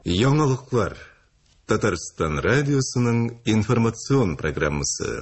Яңалыклар. Татарстан радиосының информацион программасы.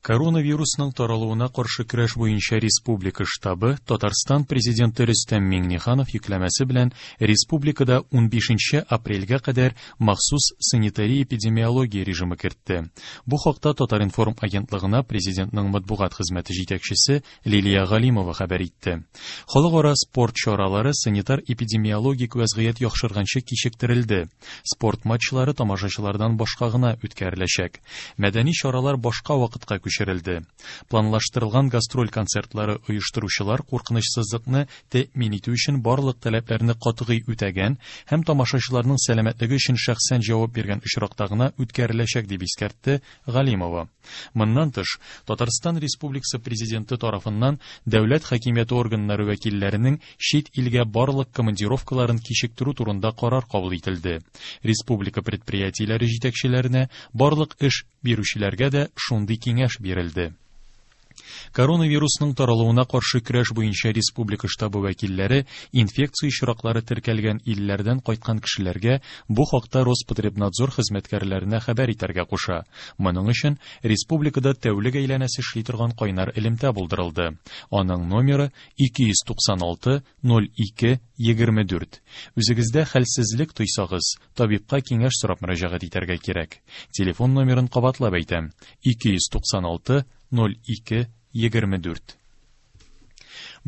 Коронавирусның таралуына каршы көрәш буенча республика штабы Татарстан Президенты Рөстәм Миңнеханов йөкләмәсе белән республикада 15 апрельгә кадәр махсус санитария-эпидемиология режимы кертте. Бу хакта Татар-информ агентлыгына Президентның матбугат хезмәте җитәкчесе Лилия Галимова хәбәр итте. Халыкара спорт чаралары санитар-эпидемиологик вәзгыять яхшырганчы кичектерелде. Спорт матчлары тамашачылардан башка гына үткәреләчәк. Мәдәни чаралар башка вакытка күчерелде. Планлаштырылган гастроль концертлары оештыручылар куркынычсызлыкны тәэмин итү өчен барлык таләпләрне катгый үтәгән һәм тамашачыларның сәламәтлеге өчен шәхсән җавап биргән очракта гына үткәреләчәк, дип искәртте Галимова. Моннан тыш, Татарстан Республикасы Президенты тарафыннан дәүләт хакимияте органнары вәкилләренең чит илгә барлык командировкаларын кичектерү турында карар кабул ителде. Республика предприятиеләре җитәкчеләренә, барлык эш бирүчеләргә дә шундый киңәш бирелде. Коронавирусның таралуына каршы көрәш буенча республика штабы вәкилләре инфекция очраклары теркәлгән илләрдән кайткан кешеләргә бу хакта Роспотребнадзор хезмәткәрләренә хәбәр итәргә куша. Моның өчен республикада тәүлек әйләнәсе эшли торган кайнар элемтә булдырылды. Аның номеры 296 02 24. Үзегездә хәлсезлек тойсагыз, табибка киңәш сорап мөрәҗәгать итәргә кирәк. Телефон номерын кабатлап әйтәм: 296 02 24.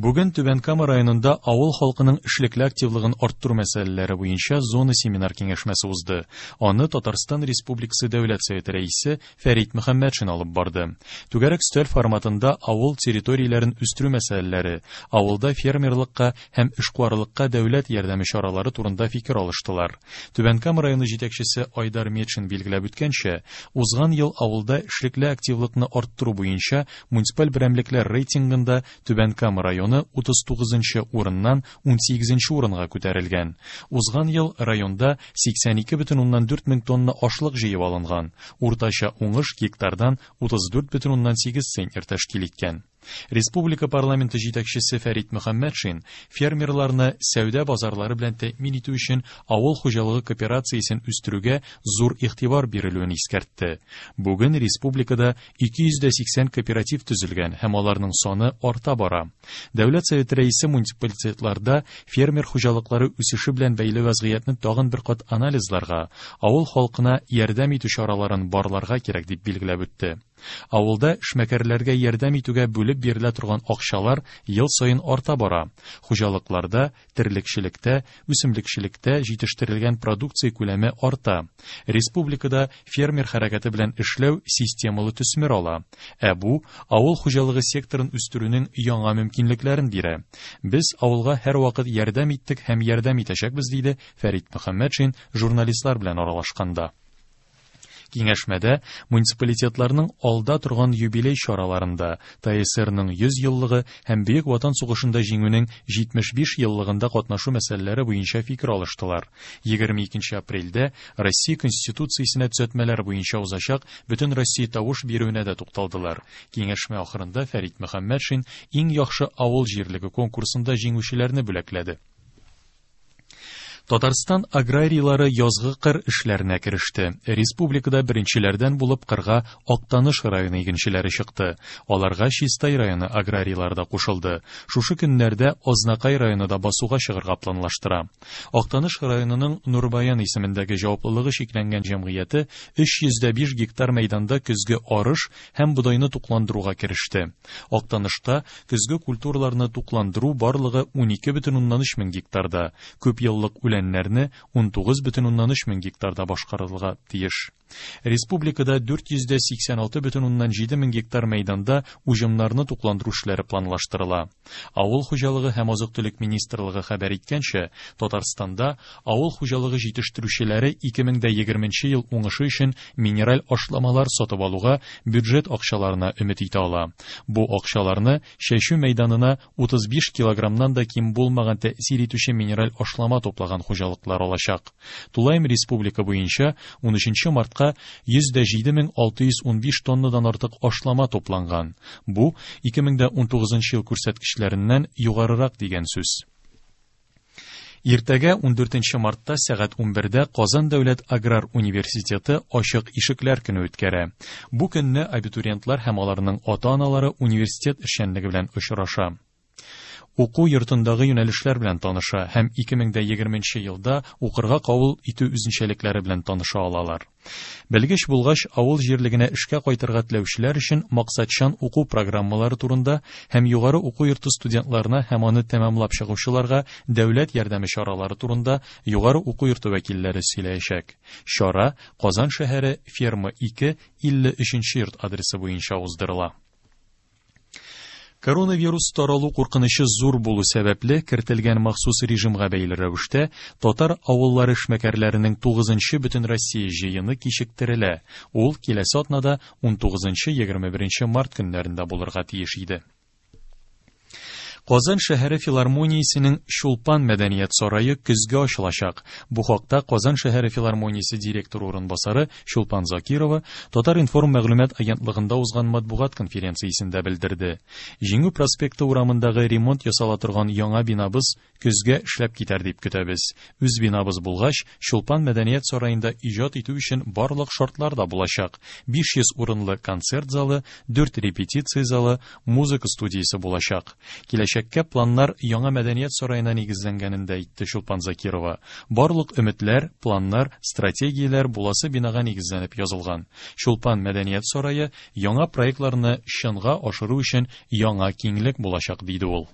Бүген Түбән Кама районында авыл халкының эшлекле активлыгын арттыру мәсьәләләре буенча зона семинар киңәшмәсе узды. Аны Татарстан Республикасы Дәүләт Советы рәисе Фәрит Мөхәммәтшин алып барды. Түгәрәк өстәл форматында авыл территорияләрен үстерү мәсьәләләре, авылда фермерлыкка һәм эшкуарлыкка дәүләт ярдәме чаралары турында фикер алыштылар. Түбән Кама районы җитәкчесе Айдар Метшин билгеләп үткәнчә, узган ел авылда эшлекле активлыкны арттыру буенча муниципаль берәмлекләр рейтингында Түбән Кама районы 39 нчы урыннан 18 нче урынга күтәрелгән. Узган ел районда 82,4 мең тонна ашлык җыеп алынган, уртача уңыш гектардан 34,8 центнер тәшкил иткән. Республика парламенты җитәкчесе Фәрит Мөхәммәтшин фермерларны сәүдә базарлары белән тәэмин итү өчен авыл хуҗалыгы кооперациясен үстерүгә зур игътибар бирелүен искәртте. Бүген республикада 280 кооператив төзелгән һәм аларның саны арта бара. Дәүләт Советы рәисе муниципалитетларда фермер хуҗалыклары үсеше белән бәйле вәзгыятьне тагын бер кат анализларга, авыл халкына ярдәм итү чараларын барларга кирәк дип билгеләп үтте. Авылда эшмәкәрләргә ярдәм итүгә бүлеп бирелә торган акчалар ел саен арта бара. Хуҗалыкларда, терлекчелектә, үсемлекчелектә җитештерелгән продукция күләме арта. Республикада фермер хәрәкәте белән эшләү системалы төсмер ала. Ә бу авыл хуҗалыгы секторын үстерүнең яңа мөмкинлекләрен бирә. Без авылга һәрвакыт ярдәм иттек һәм ярдәм итәчәкбез, диде Фәрит Мөхәммәтшин журналистлар белән аралашканда. Киңәшмәдә муниципалитетларның алда торган юбилей чараларында, ТАССРның 100 еллыгы һәм Бөек Ватан сугышында Җиңүнең 75 еллыгында катнашу мәсьәләләре буенча фикер алыштылар. 22 апрельдә Россия Конституциясенә төзәтмәләр буенча узачак Бөтенроссия тавыш бирүенә дә тукталдылар. Киңәшмә ахырында Фәрит Мөхәммәтшин Иң яхшы авыл җирлеге конкурсында җиңүчеләрне бүләкләде. Татарстан аграрийлары язгы кыр эшләренә кереште. Республикада беренчеләрдән булып кырга Актаныш районы игенчеләре чыкты. Аларга Чистай районы аграрийлары да кушылды. Шушы көннәрдә Азнакай районы да басуга чыгарга планлаштыра. Актаныш районының Нурбаян исемендәге җаваплылыгы чикләнгән җәмгыяте 305 гектар мәйданда көзге арыш һәм бодайны тукландыруга кереште. Актанышта көзге культураларны тукландыру барлыгы 12,3 мең гектарда, күпьеллык үләннәрне 19,3 мең гектарда башкарылырга тиеш. Республикада 486,7 мең гектар мәйданда уҗымнарны тукландыру эшләре планлаштырыла. Авыл хуҗалыгы һәм азык-төлек министрлыгы хәбәр иткәнчә, Татарстанда авыл хуҗалыгы җитештерүчеләре 2020 ел уңышы өчен минераль ашламалар сатып алуга бюджет акчаларына өмет итә ала. Бу акчаларны чәчү мәйданына 35 килограммнан да ким булмаган тәэсир итүче минераль ашлама туплаган хуҗалыклар алачак. Тулаем республика буенча 13 мартка 107 615 тоннадан артык ашлама тупланган. Бу 2019 ел күрсәткечләреннән югарырак дигән сүз. Иртәгә, 14 мартта сәгать 11дә Казан дәүләт аграр университеты Ачык ишекләр көне үткәрә. Бу көнне абитуриентлар һәм аларның ата-аналары университет эшчәнлеге белән очраша. Уку йортындагы юнәлешләр белән таныша һәм 2020 елда укырга кабул итү үзенчәлекләре белән таныша алалар. Белгеч булгач, авыл җирлегенә эшкә кайтырга теләүчеләр өчен максатчан уку программалары турында һәм югары уку йорты студентларына һәм аны тәмамлап чыгучыларга дәүләт ярдәме чаралары турында югары уку йорты вәкилләре сөйләячәк. Чара Казан шәһәре, Ферма 2, 53 йорт адресы буенча уздырыла. Коронавирус таралу куркынычы зур булу сәбәпле, кертелгән махсус режимга бәйле рәвештә, татар авыллары эшмәкәрләренең 9-нчы Бөтенроссия җыены кичектерелә. Ул киләсе атнада 19-21 март көннәрендә булырга тиеш иде. Казан шәһәре филармониясенең Чулпан мәдәният сарае көзгә ачылачак. Бу хакта Казан шәһәре филармониясе директоры урынбасары Чулпан Закирова Татар-информ мәгълүмат агентлыгында узган матбугат конференциясендә белдерде. Җиңү проспекты урамындагы ремонт ясала торган яңа бинабыз көзгә эшләп китәр дип көтәбез. Үз бинабыз булгач, Чулпан мәдәният сараенда иҗат итү өчен барлык шартлар да булачак. 500 урынлы концерт залы, 4 репетиция залы, музыка студиясе булачак. Киләчәккә планнар яңа мәдәният сараена нигезләнгәнен дә әйтте Чулпан Закирова. Барлык өметләр, планнар, стратегияләр буласы бинага нигезләнеп язылган. Чулпан мәдәният сарае яңа проектларны чынга ашыру өчен яңа киңлек булачак, диде ул.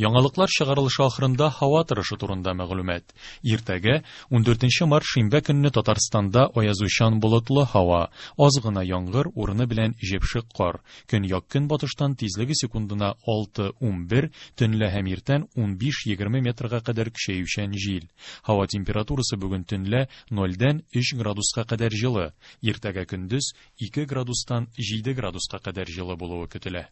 Яңалыклар чыгарылышы ахырында һава торышы турында мәгълүмат. Иртәгә, 14 март шимбә көнне Татарстанда аязучан болытлы һава, аз гына яңгыр, урыны белән җепшек кар. Көньяк-көнбатыштан тизлеге секундына 6-11, төнлә һәм иртән 15-20 метрга кадәр көчәючән җил. Һава температурасы бүген төнлә 0-дән 3 градуска кадәр җылы, иртәгә көндез 2 градустан 7 градуска кадәр җылы булуы көтелә.